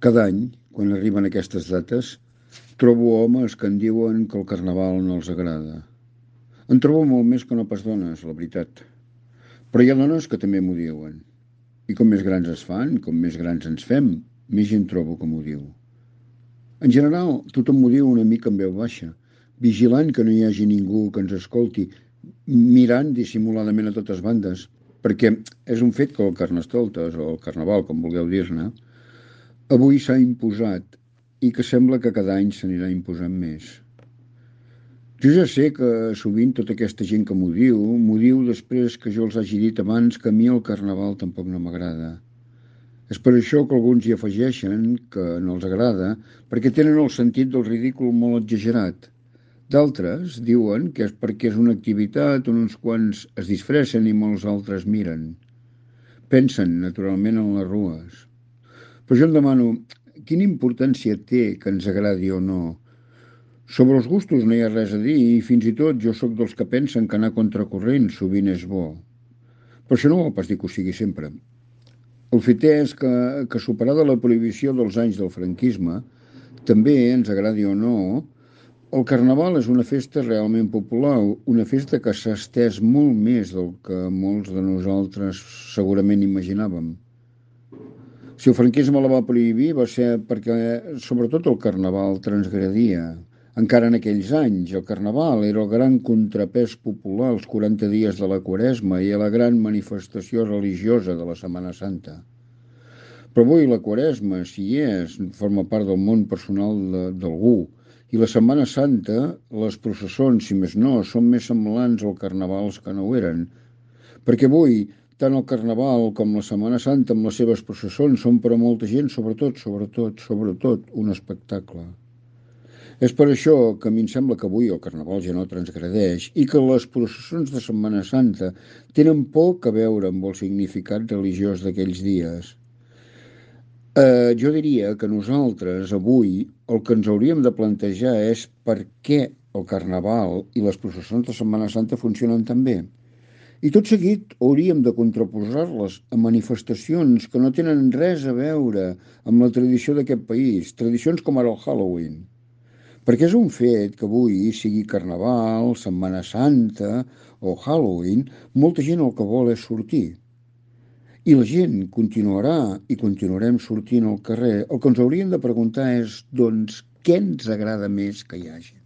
Cada any, quan arriben aquestes dates, trobo homes que em diuen que el carnaval no els agrada. En trobo molt més que no pas dones, la veritat. Però hi ha dones que també m'ho diuen. I com més grans es fan, com més grans ens fem, més gent trobo que m'ho diu. En general, tothom m'ho diu una mica en veu baixa, vigilant que no hi hagi ningú que ens escolti, mirant dissimuladament a totes bandes, perquè és un fet que el Carnestoltes, o el Carnaval, com vulgueu dir-ne, avui s'ha imposat i que sembla que cada any s'anirà imposant més. Jo ja sé que sovint tota aquesta gent que m'ho diu després que jo els hagi dit abans que a mi el Carnaval tampoc no m'agrada. És per això que alguns hi afegeixen que no els agrada, perquè tenen el sentit del ridícul molt exagerat. D'altres diuen que és perquè és una activitat on uns quants es disfressen i molts altres miren. Pensen, naturalment, en les rues. Però jo em demano, quina importància té que ens agradi o no? Sobre els gustos no hi ha res a dir i fins i tot jo sóc dels que pensen que anar contracorrent sovint és bo. Però això no vol pas dir que ho sigui sempre. El fet és que superada la prohibició dels anys del franquisme, també, ens agradi o no, el Carnaval és una festa realment popular, una festa que s'ha estès molt més del que molts de nosaltres segurament imaginàvem. Si el franquisme la va prohibir va ser perquè, sobretot, el Carnaval transgredia. Encara en aquells anys, el Carnaval era el gran contrapès popular als 40 dies de la Quaresma i a la gran manifestació religiosa de la Setmana Santa. Però avui la Quaresma, si hi és, forma part del món personal d'algú. I la Setmana Santa, les processons, si més no, són més semblants al Carnavals que no ho eren. Perquè avui, tant el Carnaval com la Setmana Santa amb les seves processons són per a molta gent, sobretot, un espectacle. És per això que a mi em sembla que avui el Carnaval ja no transgredeix i que les processons de Setmana Santa tenen poc a veure amb el significat religiós d'aquells dies. Jo diria que nosaltres avui el que ens hauríem de plantejar és per què el Carnaval i les processons de Setmana Santa funcionen tan bé. I tot seguit hauríem de contraposar-les a manifestacions que no tenen res a veure amb la tradició d'aquest país, tradicions com ara el Halloween. Perquè és un fet que avui, sigui Carnaval, Setmana Santa o Halloween, molta gent el que vol és sortir. I la gent continuarà i continuarem sortint al carrer. El que ens hauríem de preguntar és, doncs, què ens agrada més que hi hagi?